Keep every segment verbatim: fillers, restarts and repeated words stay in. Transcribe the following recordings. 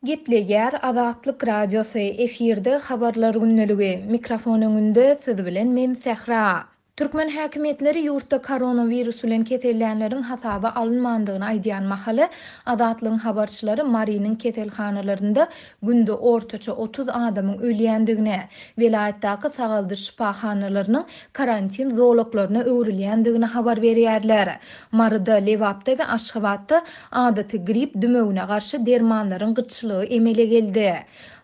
Gepleýär Azatlyk Radiosy, efirde Habarlar gündeligi, mikrofon öňünde siz bilen men Sähra. Türkmen häkimiýetleri ýurtda koronawirus bilen kesellänleriň hasaba alynmandygyny aýdýan mahaly, Azatlygyň habarçylary Marynyň keselhanalarynda günde ortaça otuz adamyň ölýändigini, welaýatdaky sagaldyş şypahanalarynyň karantin zolaklaryna öwrülýändigini habar berýärler. Maryda, Lebapda we Aşgabatda adaty grip dümewine garşy dermanlaryň gytçylygy emele geldi.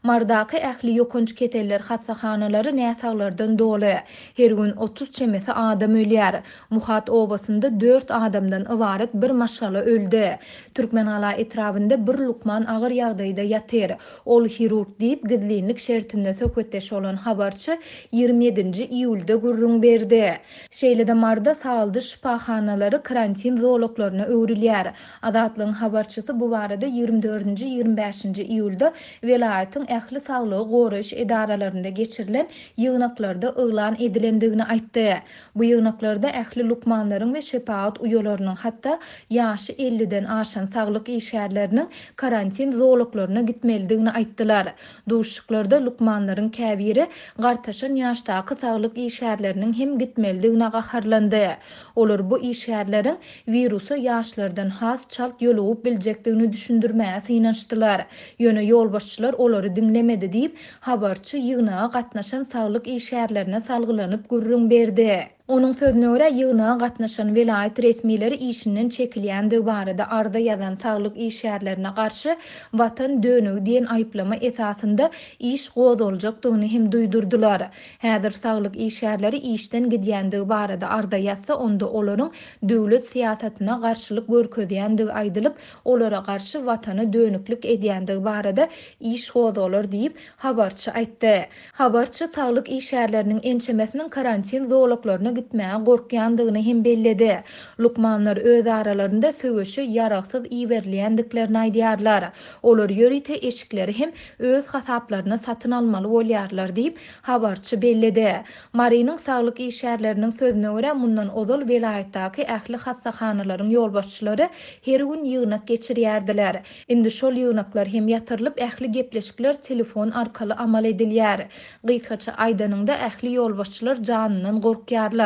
Marydaky ähli ýokanç keseller hassahanalary näsaglardan doly. Her gün otuz çemesi adam ölýär. Muhat obasynda dört adamdan ybarat bir maşgala öldi. Türkmengala etrabynda bir lukman agyr ýagdaýda ýatyr. Ol hirurg diýip gizlinlik şertinde söhbetdeş bolan habarçy ýigrimi ýedinji iýulda gürrüň berdi. Şeýle-de Maryda sagaldyş şypahanalary karantin zolaklaryna öwrülýär. Azatlygyň habarçysy bu barada ýigrimi dördünji ýigrimi bäşinji iýulda welaýatyň ähli saglygy goraýyş edaralarynda geçirilen ýygnaklarda yglan edilendigini aýtdy. Bu ýygnaklarda ähli lukmanlaryň we şepagat uýalarynyň, hatda ýaşy elliden aşan saglyk işgärleriniň karantin zolaklaryna gitmelidigini aýtdylar. Duşuşyklarda lukmanlaryň käbiri gartaşan ýaşdaky saglyk işgärleriniň hem gitmelidigine gaharlandy. Olar bu işgärleriň wirusa ýaşlardan has çalt ýolugyp biljekdigini düşündirmäge synanyşdylar. Ýöne ýolbaşçylar olary diňlemedi diýip, habarçy ýygnaga gatnaşan saglyk işgärlerine salgylanyp gürrüň berdi. Onuň sözüne görä, ýygnaga gatnaşan welaýat resmileri işinden çekilýändigi barada arza ýazan saglyk işgärlerine garşy watan dönügi diýen aýyplama esasynda iş gozgaljakdygyny hem duýdurdylar. Häzir saglyk işgärleri işden gidýändigi barada arza ýazsa, onda olaryň döwlet syýasatyna garşylyk görkezýändigi aýdylyp, olara garşy watana dönüklik edýändigi barada iş gozgalar diýip, habarçy aýtdy. Habarçy saglyk işgärleriniň ençemesiniň karantin zolaklaryna gitmäge gorkýandygyny hem belledi. Lukmanlar öz aralarynda söweşe ýaragsyz iberilýändiklerini aýdýarlar. Olar ýörite eşikleri hem öz hasaplaryna satyn almaly bolýarlar diýip, habarçy belledi. Marynyň saglyk işgärleriniň sözüne görä, mundan ozal welaýatdaky ähli hassahanalaryň ýolbaşçylary her gün ýygnak geçirýärdiler. Indi şol ýygnaklar hem ýatyrylyp, ähli gepleşikler telefon arkaly amal edilýär. Gysgaça aýdanyňda ähli ýolbaşçylar janyndan gorkýarlar.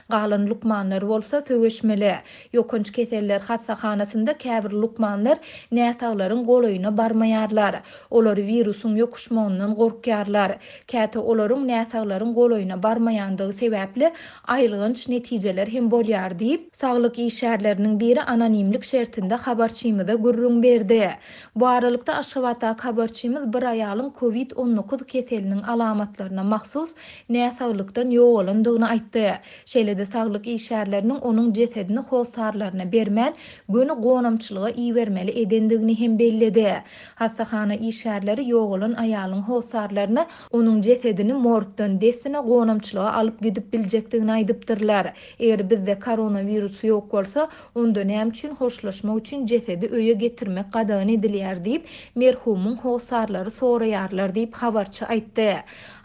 Galan lukmanlar bolsa söweşmeli. Ýokanç keseller hassahanasynda käbir lukmanlar näsaglaryň golaýyna barmaýarlar. Olar wirusyň ýokuşmagyndan gorkýarlar. Käte olaryň näsaglaryň golaýyna barmaýandygy sebäpli aýylganç netijeler hem bolýar diýip, saglyk işgärleriniň biri anonimlik şertinde habarçymyza gürrüň berdi. Bu aralykda Aşgabatdaky habarçymyz bir aýalyň kovid on dokuz keseliniň alamatlaryna mahsus näsaglykdan ýogalandygyny aýtdy. Şeýle-de saglyk işgärleriniň onuň jesedini hossarlaryna bermän, göni gonamçylyga ibermeli edendigini hem belledi. Hassahana işgärleri ýogalan aýalyň hossarlaryna onuň jesedini morgdan dessine gonamçylyga alyp gidip biljekdigini aýdypdyrlar. Eger bizde koronawirus ýok bolsa, onda näme üçin hoşlaşmak üçin jesedi öýe getirmek gadagan edilýär diýip, merhumyň hossarlary soraýarlar diýip habarçy aýtdy.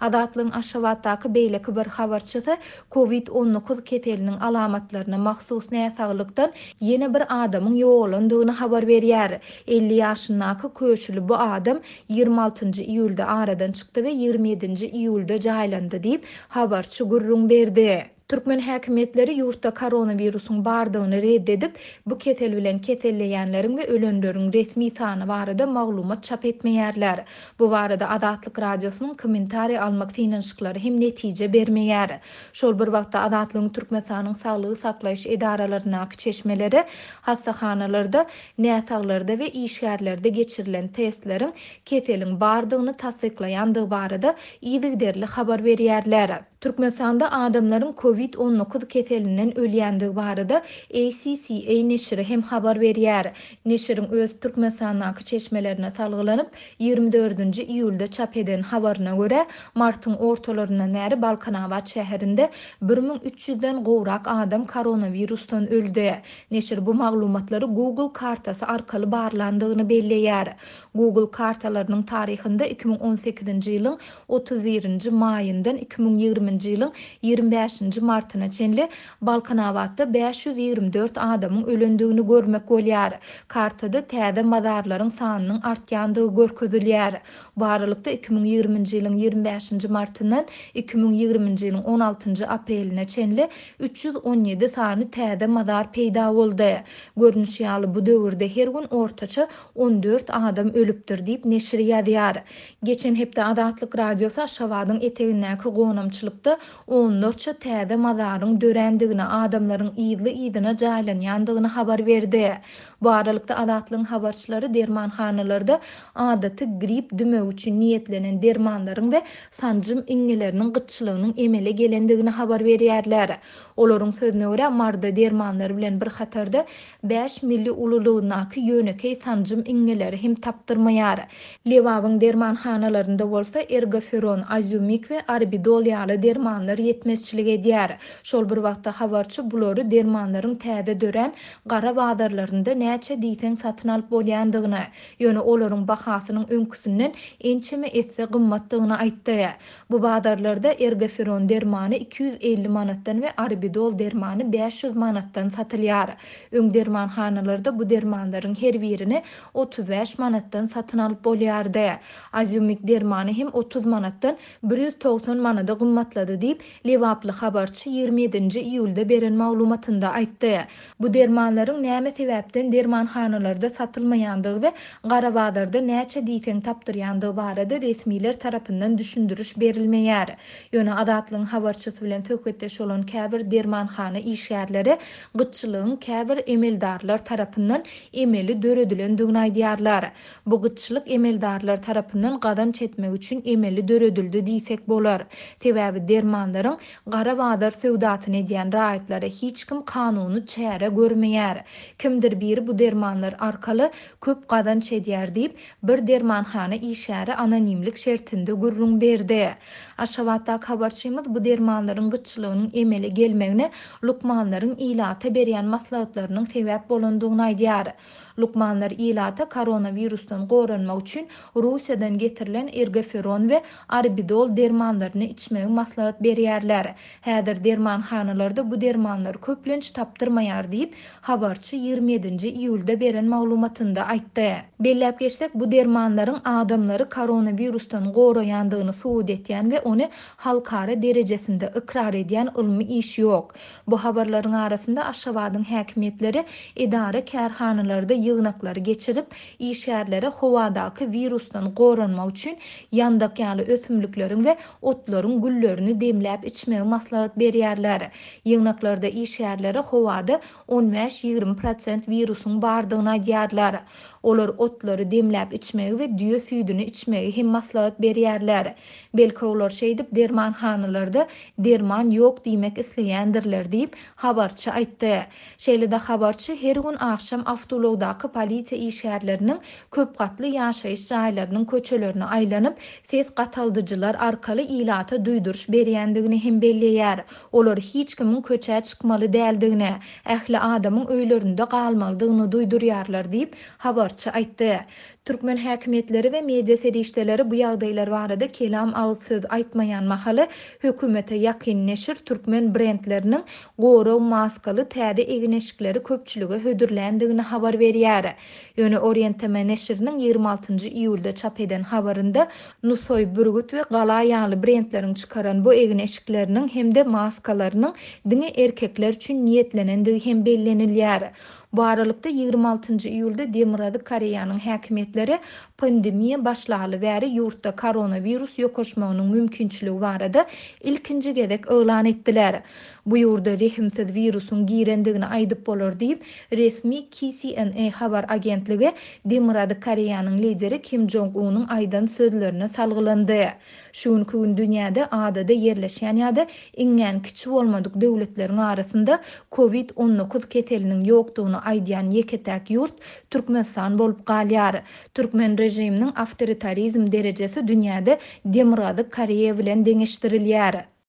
Azatlygyň Aşgabatdaky beýleki bir habarçysy kovid on dokuz keseliniň alamatlaryna mahsus näsaglykdan ýene bir adamyň ýogalandygyny habar berýär. elli ýaşyndaky köşüli bu adam ýigrimi altynjy iýulda aradan çykdy we ýigrimi ýedinji iýulda jaýlandy diýip habarçy gürrüň berdi. Türkmen häkimiýetleri ýurtda koronawirusyň bardygyny red edip, bu kesel bilen keselleýänleriň we ölenleriň resmi sany barada maglumat çap etmeýärler. Bu barada Azatlyk Radiosynyň kommentariý almak synanyşyklary hem netije bermeýär. Şol bir wagtda Azatlygyň Türkmenistanyň saglygy saklaýyş edaralaryndaky çeşmeleri hassahanalarda, näsaglarda we işgärlerde geçirilen testleriň keseliň bardygyny tassyklaýandygy barada yzygiderli habar berýärler. Türkmenistanda adamlaryň kovid on dokuz keselinden ölýändigi barada A C C A neşiri hem habar berýär. Neşiriň öz Türkmenistandaky çeşmelerine salgylanyp, ýigrimi dördünji iýulda çap eden habaryna görä, martyň ortalaryndan bäri Balkanabat şäherinde bir müň üç ýüzden gowrak adam koronawirusdan öldi. Neşir bu maglumatlary Google kartasy arkaly barlandygyny belleýär. Google kartalarynyň taryhynda iki müň on sekizinji ýylyň otuz birinji maýyndan iki müň ýigriminji ýylyň ýigrimi bäşinji martyna çenli Balkanabatda bäş ýüz ýigrimi dört adamyň ölendigini görmek bolýar. Kartada täze mazarlaryň sanynyň artýandygy görkezilýär. Bu aralykda iki müň ýigriminji ýylyň ýigrimi bäşinji martyndan iki müň ýigriminji ýylyň on altynjy apreline çenli üç ýüz on ýedi sany täze mazar peýda boldy. Görnüşi ýaly bu döwürde her gün ortaça on dört adam ölüpdir diýip neşir ýazýar. Geçen hepde Azatlyk Radiosy Aşgabadyň etegindäki gonamçylykda onlarça täze mazaryň dörändigini, adamlaryň yzly-yzyna jaýlanýandygyny habar berdi. Bu aralykda Azatlygyň habarçylary dermanhanalarda adaty grip dümegi üçin niýetlenen dermanlaryň we sanjym iňňeleriniň gytçylygynyň emele gelendigini habar berýärler. Olaryň sözüne görä Marda dermanlar bilen bir hatarda bäş milli ululygyndaky ýönekeý sanjym iňňeleri hem tapdyrmaýar. Lebabyň dermanhanalarynda bolsa ergoferon, azumik we arbidol ýaly dermanlar ýetmezçilik edýär. Şol bir wagtda habarçy bulary dermanlaryň täze dörän gara bazarlarynda näçe diýseň satyn alyp bolýandygyny, ýöne olaryň bahasynyň öňküsinden ençeme esse gymmatdygyny aýtdy. Bu bazarlarda ergoferon dermany iki ýüz elli manatdan we arbidol dermany bäş ýüz manatdan satylýar. Öň dermanhanalarda bu dermanlaryň her birini otuz bäş manatdan satyn alyp bolýardy. Azumik dermany hem otuz manatdan bir ýüz togsan manada gymmatlady diýip, Lebaply habarçy ýigrimi ýedinji iýulda beren maglumatynda aýtdy. Bu dermanlaryň näme sebäpden dermanhanalarda satylmaýandygy we gara bazarda näçe diýseň tapdyrýandygy barada resmiler tarapyndan düşündiriş berilmeýär. Ýöne Azatlygyň habarçysy bilen söhbetdeş bolan käbir dermanhana işgärleri gytçylygyň käbir emeldarlar tarapyndan emeli döredilendigini aýdýarlar. Bu gytçylyk emeldarlar tarapyndan gazanç etmek üçin emeli döredildi diýsek bolar. Sebäbi dermanlaryň gara bazar söwdasyny edýän raýatlara hiç kim kanuny çäre görmeýär. Kimdir biri bu dermanlar arkaly köp gazanç edýär diýip, bir dermanhana işgäri anonimlik şertinde gürrüň berdi. Aşgabatdaky habarçymyz bu dermanlaryň gytçylygynyň emele gelmegine lukmanlaryň ilata berýän maslahatlarynyň sebäp bolandygyny aýdýar. Lukmanlar ilata koronavirusdan goranmak üçin Russiýadan getirilen ergoferon we arbidol dermanlaryny içmegi maslahat berýärler. Häzir dermanhanalarda bu dermanlar köplenç tapdyrmaýar diýip, habarçy ýigrimi ýedinji iýulda beren maglumatynda aýtdy. Belläp geçsek, bu dermanlaryň adamlary koronavirusdan goraýandygyny subut etýän we ony halkara derejesinde ykrar edýän ylmy iş ýok. Bu habarlaryň arasynda Aşgabadyň häkimiýetleri edara kärhanalarda ýygnaklary geçirip, işgärlere howadaky virusdan goranmak üçin ýandak ýaly ösümlikleriň we otlaryň güllerini demläp içmegi maslahat berýärler. Ýygnaklarda işgärlere howada on bäş ýigrimi prosent wirusyň bardygyny aýdýarlar. Olar otlary demläp içmegi we düýe süýdüni içmegi hem maslahat berýärler. Belki olar şeýdip dermanhanalarda derman ýok diýmek isleýändirler diýip habarçy aýtdy. Şeýle-de habarçy her gün akşam awtoulagdaky polisiýa işgärleriniň köp gatly ýaşaýyş jaýlarynyň köçelerine aýlanyp, ses gataldyjylar arkaly ilata duýduryş berýändigini hem belleýär. Olar hiç kimiň köçä çykmaly däldigini, ähli adamyň öýlerinde galmalydygyny duýdurýarlar diýip habarçy aýtdy. Türkmen häkimiýetleri we media serişdeleri bu ýagdaýlar barada kelam agyz söz aýtmaýan mahaly hökümete ýakyn neşir türkmen brendleriniň gorag maskaly täze egin-eşikleri köpçülige hödürländigini habar berýär. Ýöne Orient T M neşiriniň ýigrimi altynjy iýulda çap eden habarynda Nusoý, Bürgüt we Gala ýaly brendleriň çykaran bu egin-eşikleriniň hem-de maskalarynyň diňe erkekler üçin niýetlenendigi hem bellenilýär. Bu aralykda ýigrimi altynjy iýulda Demirgazyk Koreýanyň häkimiýetleri pandemiýa başlaly bäri ýurtda koronavirus ýokaşmagynyň mümkinçiligi barada ilkinji gezek yglan etdiler. Bu ýurda rehimsiz wirusyň girendigini aýdyp bolar diýip, resmi K C N A habar agentligi Demirgazyk Koreýanyň lideri Kim Jong-unyň aýdan sözlerine salgylandy. Şu günkü gün dünýäde adada ýerleşýän ýa-da iňňän kiçi bolmadyk döwletleriň arasynda COVID on dokuz keseliniň ýokdugyny aýdýan ýeke-täk ýurt Türkmenistan bolup galýar. Türkmen rejiminiň awtoritarizm derejesi dünýäde Demirgazyk Koreýa bilen deňeşdirilýär.